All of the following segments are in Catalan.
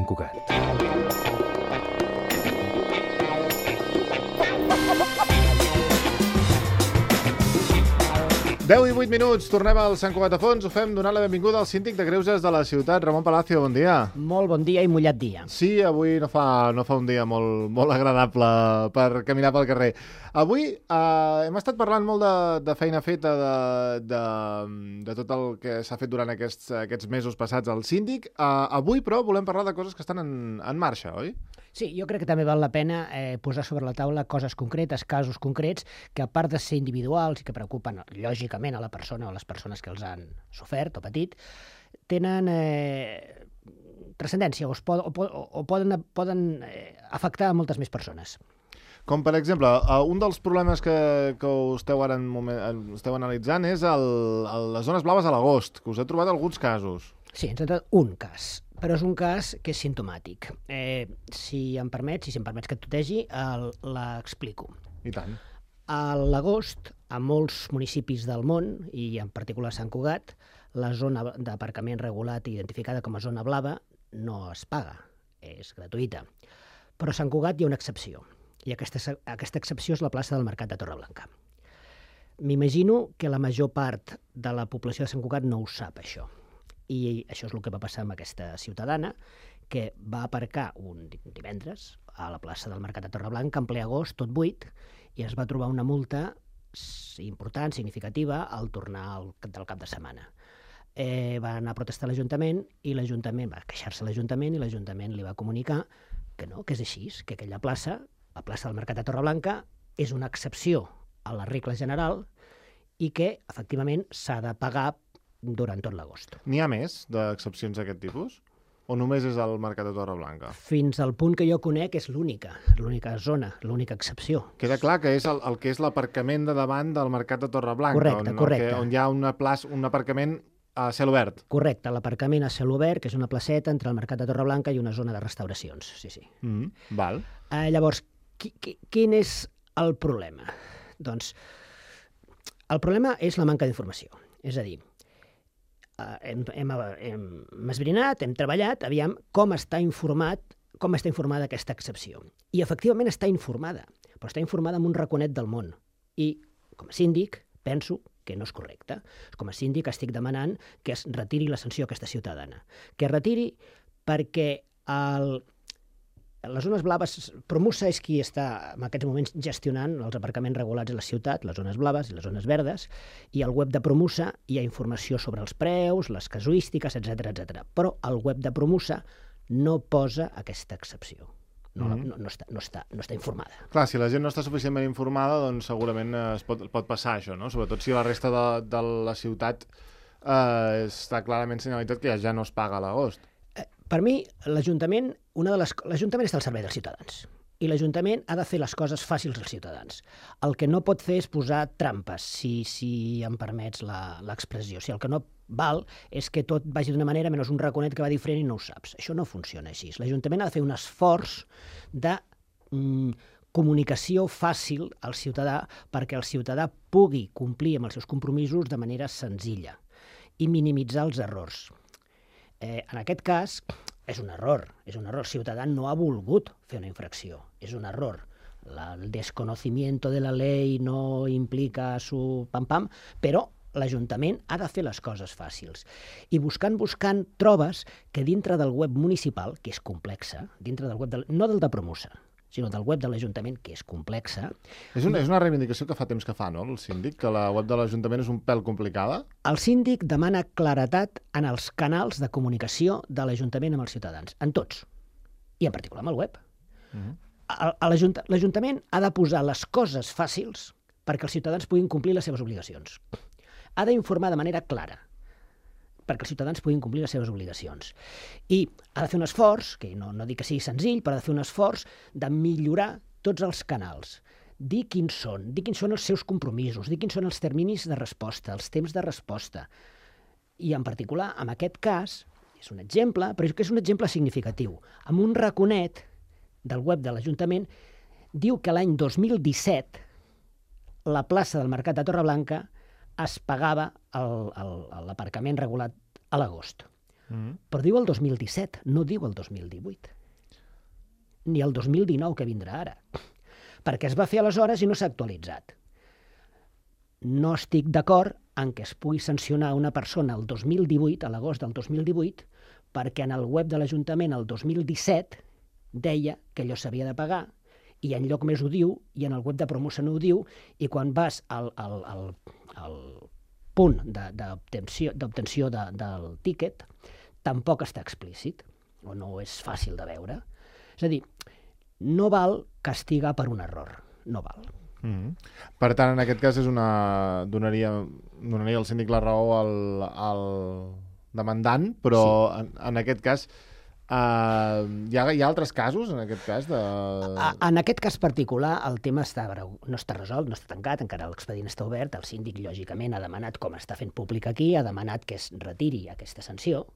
Sant Cugat. Deu i 8 minuts, tornem al Sant Cugat a Fons. Ho fem donant la benvinguda al síndic de Greuges de la ciutat, Ramon Palacio. Bon dia. Molt bon dia i mullat dia. Sí, avui no fa un dia molt agradable per caminar pel carrer. Avui hem estat parlant molt de feina feta, de tot el que s'ha fet durant aquests mesos passats al síndic. Avui, però, volem parlar de coses que estan en marxa, oi? Sí, jo crec que també val la pena posar sobre la taula coses concretes, casos concrets, que a part de ser individuals i que preocupen, lògicament, a la persona o a les persones que els han sofert o patit, tenen transcendència o poden afectar a moltes més persones. Com, per exemple, un dels problemes que esteu analitzant és les zones blaves a l'agost, que us he trobat alguns casos. Sí, ens ha trobat un cas, però és un cas que és simptomàtic. Si em permets que et tutegi, l'explico. I tant. A l'agost, a molts municipis del món, i en particular a Sant Cugat, la zona d'aparcament regulat i identificada com a zona blava no es paga, és gratuïta. Però a Sant Cugat hi ha una excepció, i aquesta excepció és la plaça del Mercat de Torreblanca. M'imagino que la major part de la població de Sant Cugat no ho sap, això. I això és el que va passar amb aquesta ciutadana, que va aparcar un divendres a la plaça del Mercat de Torreblanca, en ple agost, tot buit, i es va trobar una multa important, significativa, al tornar del cap de setmana. Va anar a protestar a l'Ajuntament i l'Ajuntament va queixar-se a l'Ajuntament i l'Ajuntament li va comunicar que no, que és així, que aquella plaça, la plaça del Mercat de Torreblanca, és una excepció a la regla general i que, efectivament, s'ha de pagar durant tot l'agost. N'hi ha més d'excepcions d'aquest tipus? O només és el Mercat de Torreblanca? Fins al punt que jo conec és l'única zona, l'única excepció. Queda clar que és el que és l'aparcament de davant del Mercat de Torreblanca, correcte. On hi ha un aparcament a cel obert. Correcte, l'aparcament a cel obert, que és una placeta entre el Mercat de Torreblanca i una zona de restauracions, sí. Val. Llavors, quin és el problema? Doncs el problema és la manca d'informació. És a dir, hem esbrinat, hem treballat, aviam com està informada aquesta excepció. I efectivament està informada, però està informada amb un raconet del món. I com a síndic penso que no és correcte. Com a síndic estic demanant que es retiri la sanció a aquesta ciutadana. Que es retiri perquè les zones blaves, Promusa és qui està en aquests moments gestionant els aparcaments regulats a la ciutat, les zones blaves i les zones verdes, i al web de Promusa hi ha informació sobre els preus, les casuístiques, etc. Però el web de Promusa no posa aquesta excepció. No està informada. Clar, si la gent no està suficientment informada, doncs segurament pot passar això, no? Sobretot si la resta de la ciutat està clarament senyalitzat que ja no es paga a l'agost. Per mi, l'Ajuntament està al servei dels ciutadans i l'Ajuntament ha de fer les coses fàcils als ciutadans. El que no pot fer és posar trampes, si em permets l'expressió. El que no val és que tot vagi d'una manera menys un raconet que va diferent i no ho saps. Això no funciona així. L'Ajuntament ha de fer un esforç de comunicació fàcil al ciutadà perquè el ciutadà pugui complir amb els seus compromisos de manera senzilla i minimitzar els errors. En aquest cas, és un error. El ciutadà no ha volgut fer una infracció. És un error. El desconocimiento de la ley no implica su pam-pam, però l'Ajuntament ha de fer les coses fàcils. I buscant, trobes que dintre del web municipal, que és complexa, dintre del web no del de Promusa, sinó del web de l'Ajuntament, que és complexa. És una reivindicació que fa temps que fa, no?, el síndic, que la web de l'Ajuntament és un pèl complicada. El síndic demana claretat en els canals de comunicació de l'Ajuntament amb els ciutadans, en tots, i en particular amb el web. L'Ajuntament ha de posar les coses fàcils perquè els ciutadans puguin complir les seves obligacions. Ha d'informar de manera clara perquè els ciutadans puguin complir les seves obligacions. I ha de fer un esforç, que no dic que sigui senzill, però ha de fer un esforç de millorar tots els canals. Dir quins són els seus compromisos, dir quins són els terminis de resposta, els temps de resposta. I en particular, en aquest cas, és un exemple, però és que és un exemple significatiu. Amb un raconet del web de l'Ajuntament diu que l'any 2017 la plaça del Mercat de Torreblanca es pagava l'aparcament regulat a l'agost. Però diu el 2017, no diu el 2018. Ni el 2019 que vindrà ara. Perquè es va fer aleshores i no s'ha actualitzat. No estic d'acord en què es pugui sancionar una persona el 2018, a l'agost del 2018, perquè en el web de l'Ajuntament el 2017 deia que allò s'havia de pagar i enlloc més ho diu, i en el web de Promoció no ho diu, i quan vas al punt d'obtenció del tíquet tampoc està explícit, o no és fàcil de veure. És a dir, no val castigar per un error, no val. Per tant, en aquest cas donaria el síndic la raó al demandant, però sí. En aquest cas hi ha altres casos en aquest cas de... En aquest cas particular el tema no està resolt, no està tancat, encara l'expedient està obert. El síndic lògicament ha demanat, com està fent públic aquí, ha demanat que es retiri aquesta sanció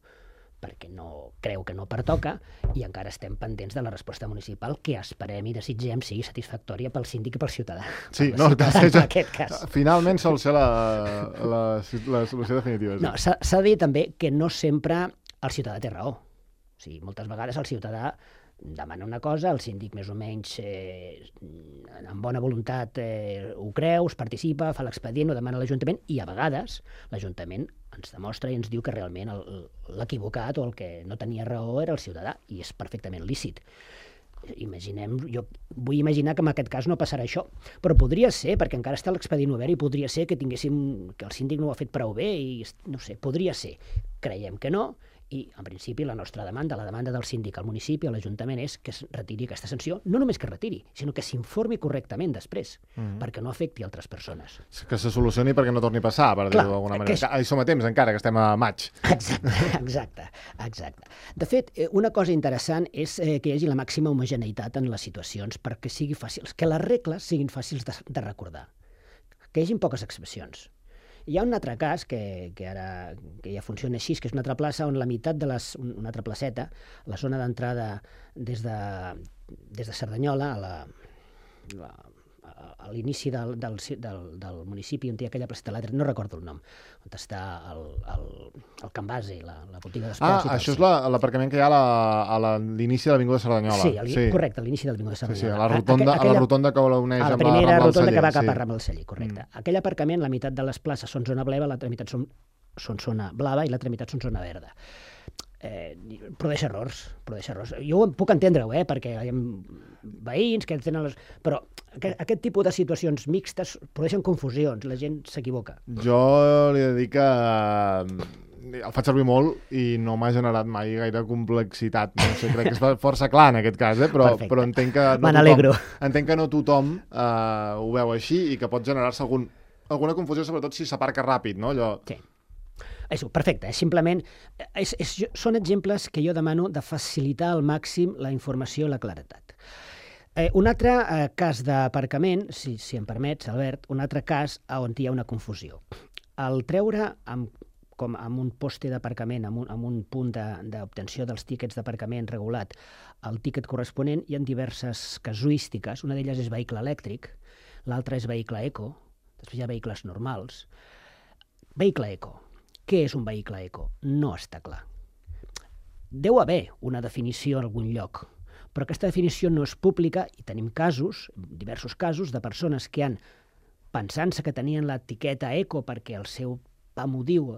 perquè no creu que no pertoca, i encara estem pendents de la resposta municipal, que esperem i desitgem sigui satisfactòria pel síndic i pel ciutadà. Sí, no, en aquest cas. Finalment sol ser la solució definitiva. Sí. No, s'ha de dir també que no sempre el ciutadà té raó. O sigui, moltes vegades el ciutadà demana una cosa, el síndic més o menys amb bona voluntat ho creu, es participa, fa l'expedient, ho demana a l'Ajuntament, i a vegades l'Ajuntament ens demostra i ens diu que realment l'equivocat o el que no tenia raó era el ciutadà, i és perfectament lícit. Jo vull imaginar que en aquest cas no passarà això, però podria ser, perquè encara està l'expedient obert, i podria ser que el síndic no ho ha fet prou bé, i no sé, podria ser. Creiem que no, i en principi la nostra demanda, la demanda del síndic al municipi, a l'Ajuntament, és que es retiri aquesta sanció, no només que es retiri, sinó que s'informi correctament després, perquè no afecti altres persones. Que se solucioni perquè no torni a passar, per dir-ho d'alguna manera. Hi som a temps encara, que estem a maig. Exacte. De fet, una cosa interessant és que hi hagi la màxima homogeneïtat en les situacions perquè sigui fàcil, que les regles siguin fàcils de recordar, que hi hagin poques excepcions. Hi ha un altre cas que ja funciona així, que és una altra plaça on la meitat de una altra placeta, la zona d'entrada des de Cerdanyola a l'inici del municipi, on hi ha aquella placeta, no recordo el nom, on està el Can Base, la botiga d'esports. Això és l'aparcament que hi ha a l'inici de l'Avinguda Cerdanyola. Sí, correcte, a l'inici de l'Avinguda Cerdanyola. A la rotonda que uneix amb la primera rotonda que va cap a Rambla Rambla del Celler, correcte. Aquell aparcament, la meitat de les places són zona blava, l'altra meitat són zona blava i l'altra meitat són zona verda. Produeix errors. Jo ho puc entendre-ho, perquè hi ha veïns que tenen però aquest tipus de situacions mixtes produeixen confusions, la gent s'equivoca. Jo li he de dir que el faig servir molt i no m'ha generat mai gaire complexitat. No sé, crec que és força clar en aquest cas, però entenc que no tothom ho veu així i que pot generar-se alguna confusió, sobretot si s'aparca ràpid, no? Sí. Perfecte, simplement són exemples que jo demano de facilitar al màxim la informació i la claretat. Un altre cas d'aparcament, si em permets, Albert, un altre cas on hi ha una confusió. Al treure com amb un poste d'aparcament, amb un punt d'obtenció dels tíquets d'aparcament regulat, el tíquet corresponent, hi ha diverses casuístiques. Una d'elles és vehicle elèctric, l'altra és vehicle eco, després hi ha vehicles normals. Vehicle eco. Què és un vehicle eco? No està clar. Deu haver una definició en algun lloc, però aquesta definició no és pública i tenim diversos casos, de persones que pensant-se que tenien l'etiqueta eco perquè el seu pam ho diu,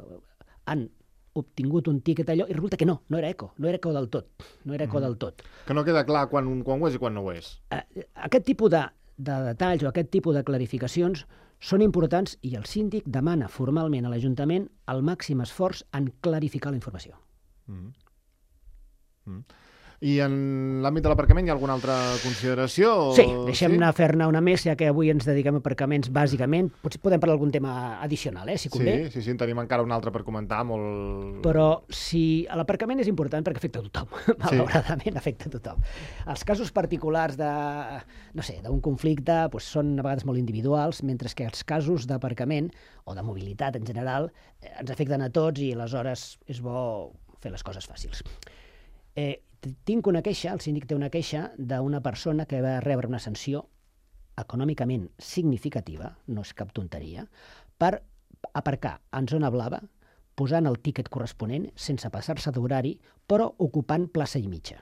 han obtingut un tíquet allò i resulta que no era eco del tot. Que no queda clar quan ho és i quan no ho és. Aquest tipus de detalls o aquest tipus de clarificacions són importants i el síndic demana formalment a l'Ajuntament el màxim esforç en clarificar la informació. I en l'àmbit de l'aparcament hi ha alguna altra consideració? Sí, deixem-ne fer-ne una més, ja que avui ens dediquem a aparcaments bàsicament. Potser podem parlar d'algun tema addicional, si convé. Sí, en tenim encara un altre per comentar. Però l'aparcament és important perquè afecta a tothom, malauradament afecta a tothom. Els casos particulars d'un conflicte són a vegades molt individuals, mentre que els casos d'aparcament o de mobilitat en general ens afecten a tots i aleshores és bo fer les coses fàcils. Tinc una queixa, el síndic té una queixa d'una persona que va rebre una sanció econòmicament significativa, no és cap tonteria, per aparcar en zona blava posant el tíquet corresponent, sense passar-se d'horari, però ocupant plaça i mitja.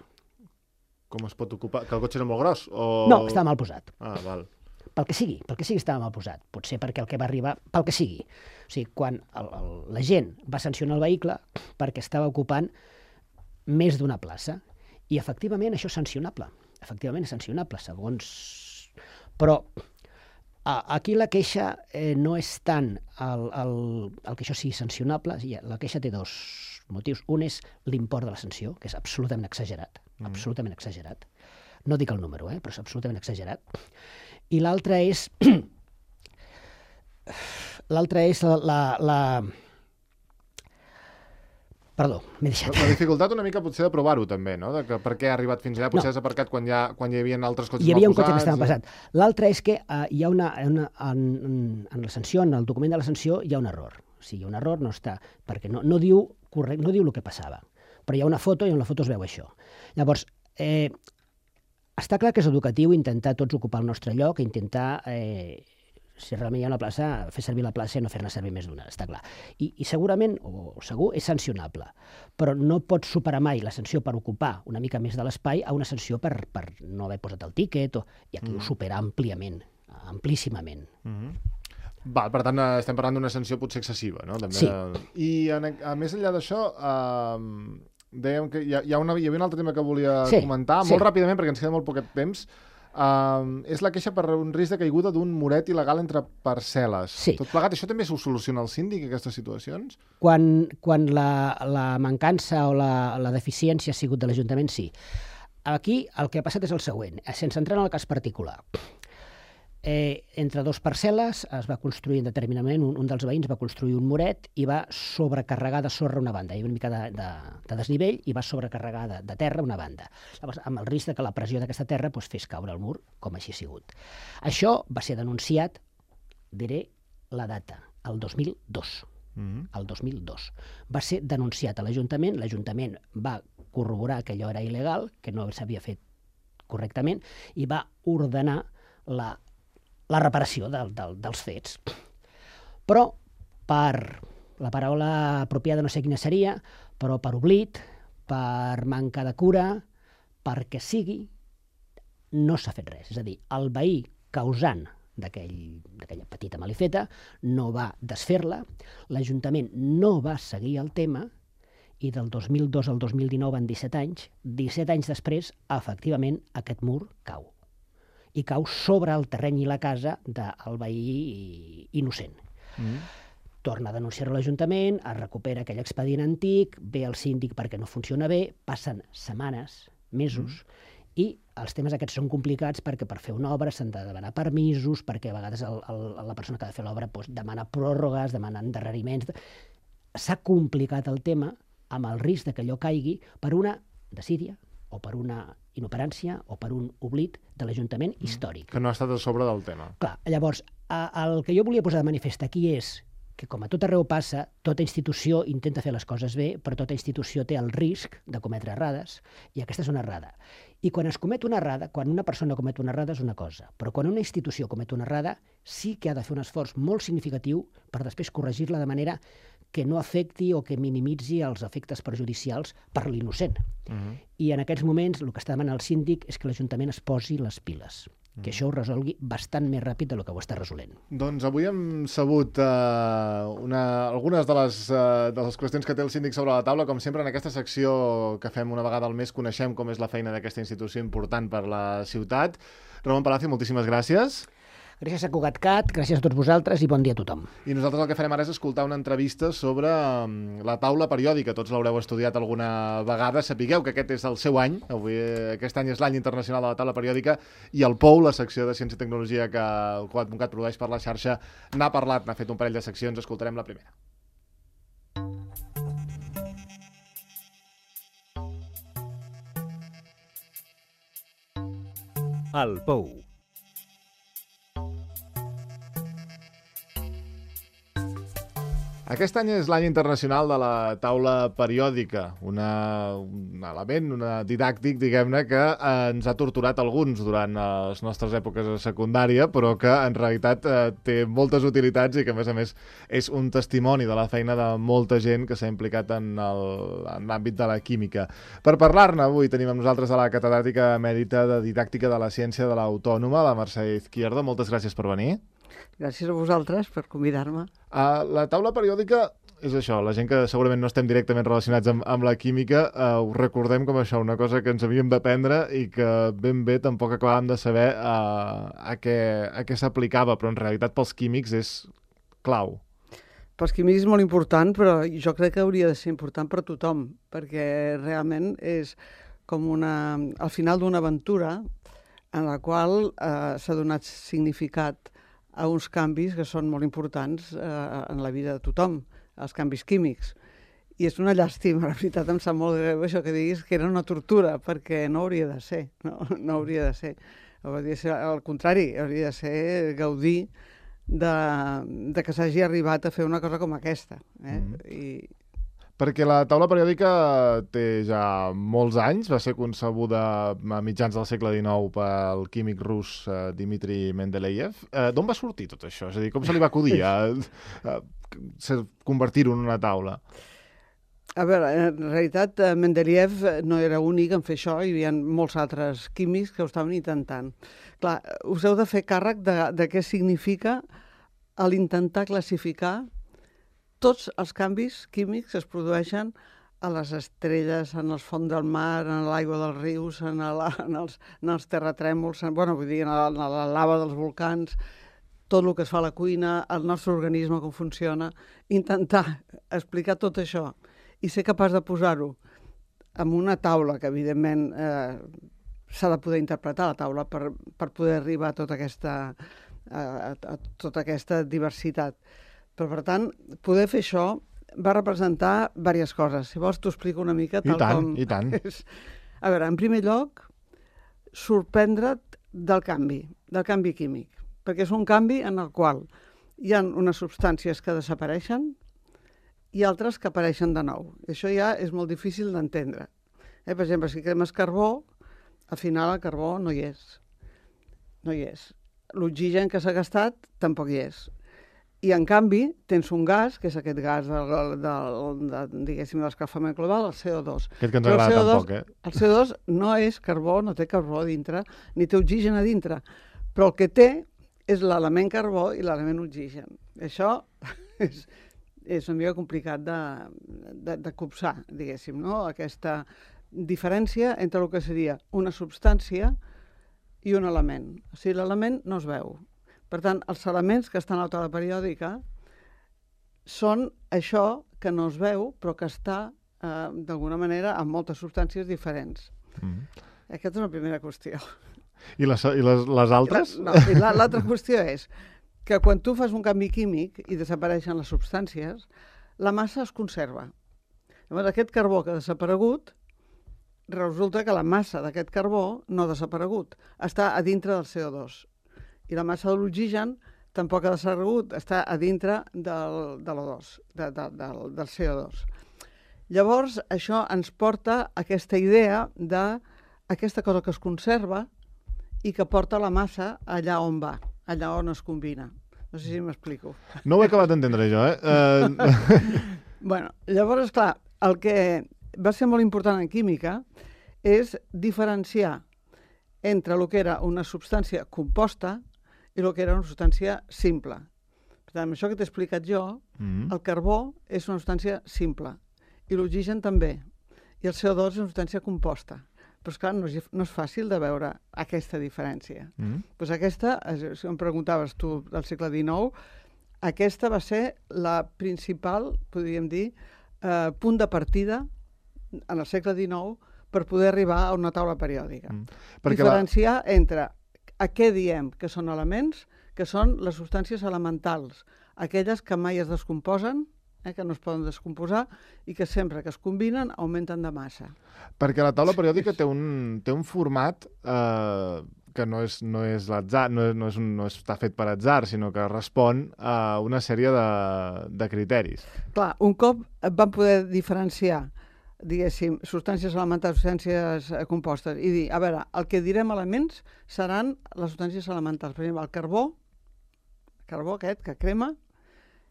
Com es pot ocupar? Que el cotxe era molt gros? No, estava mal posat. Val. Pel que sigui estava mal posat. Potser perquè el que va arribar, pel que sigui. O sigui, quan la gent va sancionar el vehicle perquè estava ocupant més d'una plaça, i efectivament això és sancionable. Efectivament és sancionable, segons... Però aquí la queixa no és tant el que això sigui sancionable, la queixa té dos motius. Un és l'import de la sanció, que és absolutament exagerat, absolutament exagerat. No dic el número, però és absolutament exagerat. I l'altre és... Perdó, m'he deixat. La dificultat una mica potser de provar-ho també, no? De que per què ha arribat fins allà, potser has aparcat quan hi havia altres cotxes mal posats. Hi havia un cotxe que estava passat. L'altre és que hi ha en la sanció, en el document de la sanció, hi ha un error. O sigui, un error no està, perquè no diu el que passava. Però hi ha una foto i en la foto es veu això. Llavors, està clar que és educatiu intentar tots ocupar el nostre lloc, intentar... si realment hi ha una plaça, fer servir la plaça i no fer-ne servir més d'una, està clar. I segurament, o segur, és sancionable, però no pots superar mai la sanció per ocupar una mica més de l'espai a una sanció per no haver posat el tíquet, i aquí ho supera àmpliament, amplíssimament. Val, per tant, estem parlant d'una sanció potser excessiva, no? També, sí. I a més enllà d'això, dèiem que hi havia un altre tema que volia comentar, molt ràpidament, perquè ens queda molt poquet temps. És la queixa per un risc de caiguda d'un muret il·legal entre parcel·les. Sí. Tot plegat, això també s'ho soluciona el síndic, aquestes situacions? Quan la mancança o la deficiència ha sigut de l'Ajuntament, sí. Aquí el que ha passat és el següent, sense entrar en el cas particular. Entre dos parcel·les es va construir indeterminadament, un dels veïns va construir un muret i va sobrecarregar de sorra una banda. Hi havia una mica de desnivell i va sobrecarregar de terra una banda. Llavors, amb el risc que la pressió d'aquesta terra fes caure el mur, com així ha sigut. Això va ser denunciat, diré la data, el 2002. El 2002. Va ser denunciat a l'Ajuntament, l'Ajuntament va corroborar que allò era il·legal, que no s'havia fet correctament, i va ordenar la reparació dels fets. Però la paraula apropiada no sé quina seria, però per oblit, per manca de cura, perquè sigui, no s'ha fet res. És a dir, el veí causant d'aquella petita malifeta no va desfer-la, l'Ajuntament no va seguir el tema, i del 2002 al 2019, en 17 anys, 17 anys després, efectivament, aquest mur cau. I cau sobre el terreny i la casa del veí innocent. Torna a denunciar-ho a l'Ajuntament, es recupera aquell expedient antic, ve el síndic perquè no funciona bé, passen setmanes, mesos, i els temes aquests són complicats perquè per fer una obra s'han de demanar permisos, perquè a vegades la persona que ha de fer l'obra demana pròrrogues, demana endarreriments. S'ha complicat el tema amb el risc que allò caigui per una desídia o per una inoperància o per un oblit de l'Ajuntament històric. Que no ha estat a sobre del tema. Clar, llavors, el que jo volia posar de manifest aquí és que, com a tot arreu passa, tota institució intenta fer les coses bé, però tota institució té el risc de cometre errades, i aquesta és una errada. I quan es comet una errada, quan una persona comet una errada és una cosa, però quan una institució comet una errada sí que ha de fer un esforç molt significatiu per després corregir-la de manera que no afecti o que minimitzi els efectes perjudicials per l'innocent. I en aquests moments el que està demanant el síndic és que l'Ajuntament es posi les piles, que això ho resolgui bastant més ràpid del que ho està resolent. Doncs avui hem sabut algunes de les qüestions que té el síndic sobre la taula. Com sempre, en aquesta secció que fem una vegada al mes, coneixem com és la feina d'aquesta institució important per la ciutat. Ramon Palacio, moltíssimes gràcies. Gràcies a Cugatcat, gràcies a tots vosaltres i bon dia a tothom. I nosaltres el que farem ara és escoltar una entrevista sobre la taula periòdica. Tots l'haureu estudiat alguna vegada. Sapigueu que aquest és el seu any. Aquest any és l'any internacional de la taula periòdica i el POU, la secció de Ciència i Tecnologia que el Cugat produeix per la xarxa, n'ha parlat, n'ha fet un parell de seccions. Escoltarem la primera. El POU. Aquest any és l'any internacional de la taula periòdica, un element, didàctic, diguem-ne, que ens ha torturat alguns durant les nostres èpoques de secundària, però que en realitat té moltes utilitats i que, a més, és un testimoni de la feina de molta gent que s'ha implicat en l'àmbit de la química. Per parlar-ne, avui tenim amb nosaltres a la catedràtica emèrita de Didàctica de la Ciència de l'Autònoma, la Mercè Izquierdo. Moltes gràcies per venir. Gràcies a vosaltres per convidar-me. La taula periòdica és això, la gent que segurament no estem directament relacionats amb la química, ho recordem com això, una cosa que ens havíem d'aprendre i que ben bé tampoc acabàvem de saber a què s'aplicava, però en realitat pels químics és clau. Pels químics és molt important, però jo crec que hauria de ser important per tothom, perquè realment és com al final d'una aventura en la qual s'ha donat significat a uns canvis que són molt importants en la vida de tothom, els canvis químics. I és una llàstima, la veritat, em sap molt greu això que diguis que era una tortura, perquè no hauria de ser, no hauria de ser. Hauria de ser al contrari, hauria de ser gaudir de que s'hagi arribat a fer una cosa com aquesta. Perquè la taula periòdica té ja molts anys, va ser concebuda a mitjans del segle XIX pel químic rus Dmitri Mendeleev. D'on va sortir tot això? És a dir, com se li va acudir convertir-ho en una taula? A veure, en realitat Mendeleev no era únic en fer això, hi havia molts altres químics que ho estaven intentant. Clar, us heu de fer càrrec de què significa l'intentar classificar tots els canvis químics que es produeixen a les estrelles, en els fons del mar, en l'aigua dels rius, en els terratrèmols, vull dir, en la lava dels volcans, tot el que es fa a la cuina, el nostre organisme, com funciona, intentar explicar tot això i ser capaç de posar-ho en una taula, que evidentment s'ha de poder interpretar la taula per poder arribar a tota aquesta diversitat. Però, per tant, poder fer això va representar diverses coses. Si vols, t'ho explico una mica tal com... I tant. A veure, en primer lloc, sorprendre't del canvi químic, perquè és un canvi en el qual hi ha unes substàncies que desapareixen i altres que apareixen de nou. Això ja és molt difícil d'entendre. Per exemple, si cremes carbó, al final el carbó no hi és. No hi és. L'oxigen que s'ha gastat tampoc hi és. I, en canvi, tens un gas, que és aquest gas diguéssim, de l'escalfament global, el CO2. Aquest que ens agrada tan poc, El CO2 no és carbó, no té carbó a dintre, ni té oxigen a dintre, però el que té és l'element carbó i l'element oxigen. Això és una mica complicat de copsar, diguéssim, no? Aquesta diferència entre el que seria una substància i un element. O sigui, l'element no es veu. Per tant, els elements que estan a la taula periòdica són això que no es veu, però que està, d'alguna manera, en moltes substàncies diferents. Aquesta és una primera qüestió. I les altres? L'altra qüestió és que quan tu fas un canvi químic i desapareixen les substàncies, la massa es conserva. Llavors, aquest carbó que ha desaparegut, resulta que la massa d'aquest carbó no ha desaparegut, està a dintre del CO2. I la massa de l'oxigen tampoc ha desaparegut, està a dintre del CO2. Llavors, això ens porta a aquesta idea d'aquesta cosa que es conserva i que porta la massa allà on va, allà on es combina. No sé si m'explico. No ho he acabat d'entendre, jo, Llavors, esclar, el que va ser molt important en química és diferenciar entre el que era una substància composta i el que era una substància simple. Per tant, amb això que t'he explicat jo, el carbó és una substància simple, i l'oxigen també, i el CO2 és una substància composta. Però, esclar, no és fàcil de veure aquesta diferència. Doncs aquesta, si em preguntaves tu del segle XIX, aquesta va ser la principal, podríem dir, punt de partida en el segle XIX per poder arribar a una taula periòdica. Diferenciar entre a què diem que són elements, que són les substàncies elementals, aquelles que mai es descomposen, que no es poden descomposar i que sempre que es combinen augmenten de massa. Perquè la taula periòdica té un format que no és l'atzar, no està fet per atzar, sinó que respon a una sèrie de criteris. Clar, un cop van poder diferenciar, diguéssim, substàncies elementals, substàncies compostes, i dir, a veure, el que direm elements seran les substàncies elementals. Per exemple, el carbó aquest que crema,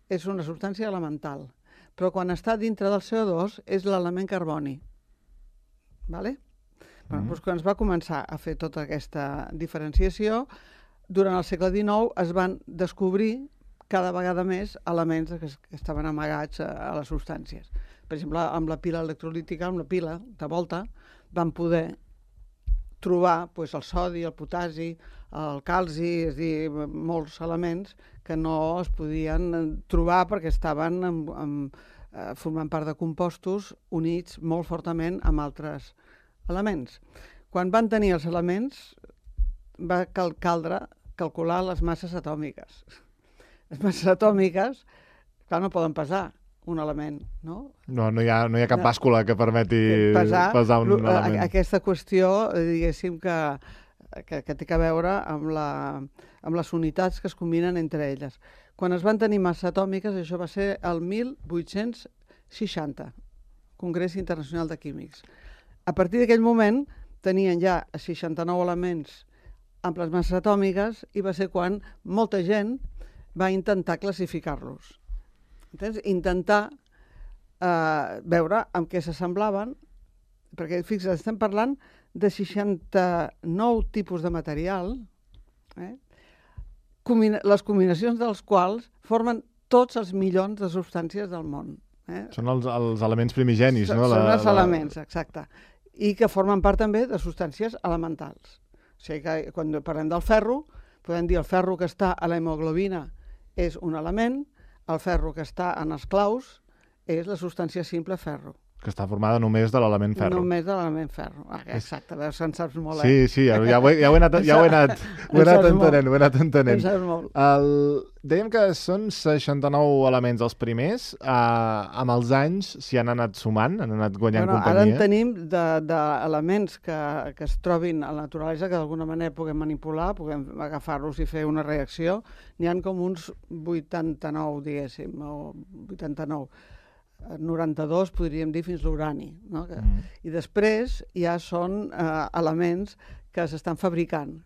és una substància elemental, però quan està dintre del CO2 és l'element carboni. Vale? Doncs quan es va començar a fer tota aquesta diferenciació, durant el segle XIX es van descobrir cada vegada més elements que estaven amagats a les substàncies. Per exemple, amb la pila electrolítica, amb la pila de Volta, van poder trobar el sodi, el potasi, el calci, és a dir, molts elements que no es podien trobar perquè estaven formant part de compostos units molt fortament amb altres elements. Quan van tenir els elements, va caldre calcular les masses atòmiques. Les masses atòmiques, clar, no poden pesar un element, no? No hi ha cap bàscula que permeti pesar un element. Aquesta qüestió, diguéssim, que té a veure amb les unitats que es combinen entre elles. Quan es van tenir masses atòmiques, això va ser el 1860, Congrés Internacional de Químics. A partir d'aquell moment tenien ja 69 elements amb les masses atòmiques i va ser quan molta gent va intentar classificar-los. Entens? Intentar veure amb què s'assemblaven, perquè fixa't, estem parlant de 69 tipus de material, les combinacions dels quals formen tots els milions de substàncies del món. Són els elements primigenis, no? Són els elements, exacte. I que formen part també de substàncies elementals. O sigui que quan parlem del ferro, podem dir el ferro que està a la hemoglobina és un element, el ferro que està en els claus és la substància simple ferro. Que està formada només de l'element ferro. Només de l'element ferro. Exacte, veus que en saps molt, Sí, ja ho he anat entenent. En saps molt. Dèiem que són 69 elements els primers. Amb els anys s'hi han anat sumant, han anat guanyant companyia. Ara en tenim d'elements que es trobin a la naturalesa, que d'alguna manera puguem manipular, puguem agafar-los i fer una reacció. N'hi ha com uns 89, diguéssim, o 89. 92 podríem dir fins l'urani, no? I després ja són elements que s'estan fabricant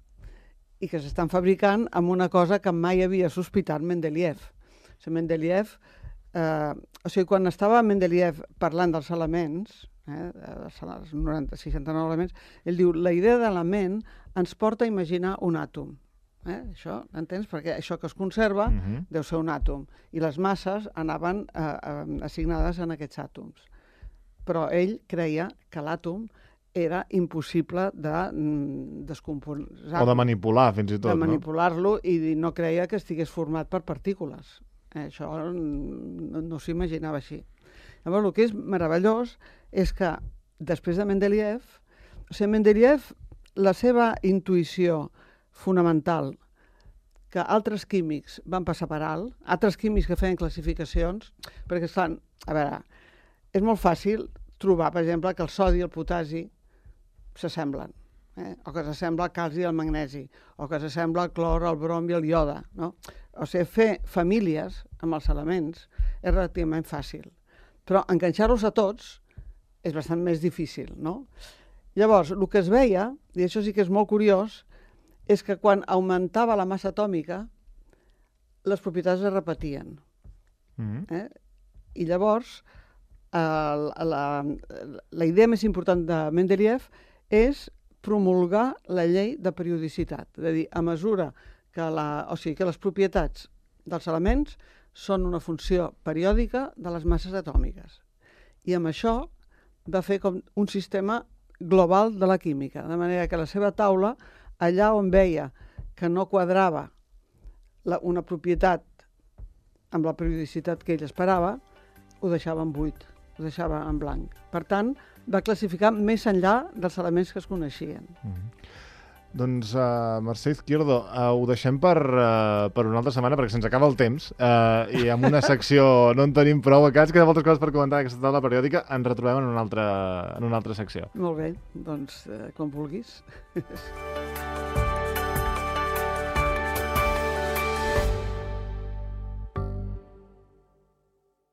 i que s'estan fabricant amb una cosa que mai havia sospitat Mendeleev. Mendeleev, o sigui, quan estava Mendeleev parlant dels elements, els 69 elements, ell diu, la idea d'element ens porta a imaginar un àtom. Això, entens? Perquè això que es conserva deu ser un àtom. I les masses anaven assignades en aquests àtoms. Però ell creia que l'àtom era impossible de descomposar. O de manipular, fins i tot. De manipular-lo, i no creia que estigués format per partícules. Això no s'imaginava així. Llavors, el que és meravellós és que després de Mendeleev, Mendeleev, la seva intuïció fonamental, que altres químics van passar per alt, altres químics que feien classificacions, perquè estan, a veure, és molt fàcil trobar, per exemple, que el sodi i el potasi s'assemblen, o que s'assembla el calci i el magnesi, o que s'assembla el clor, el brom i el iode, no? O sigui, fer famílies amb els elements és relativament fàcil, però enganxar-los a tots és bastant més difícil, no? Llavors, el que es veia, i això sí que és molt curiós, és que quan augmentava la massa atòmica, les propietats es repetien. I llavors, la idea més important de Mendeleev és promulgar la llei de periodicitat. És a dir, a mesura que les propietats dels elements són una funció periòdica de les masses atòmiques. I amb això va fer com un sistema global de la química, de manera que la seva taula, allà on veia que no quadrava una propietat amb la periodicitat que ell esperava, ho deixava en buit, ho deixava en blanc. Per tant, va classificar més enllà dels elements que es coneixien. Doncs, Mercè Izquierdo, ho deixem per una altra setmana, perquè se'ns acaba el temps, i amb una secció no en tenim prou, que ens queden moltes coses per comentar d'aquesta taula periòdica, ens retrobem en una altra secció. Molt bé, doncs, com vulguis.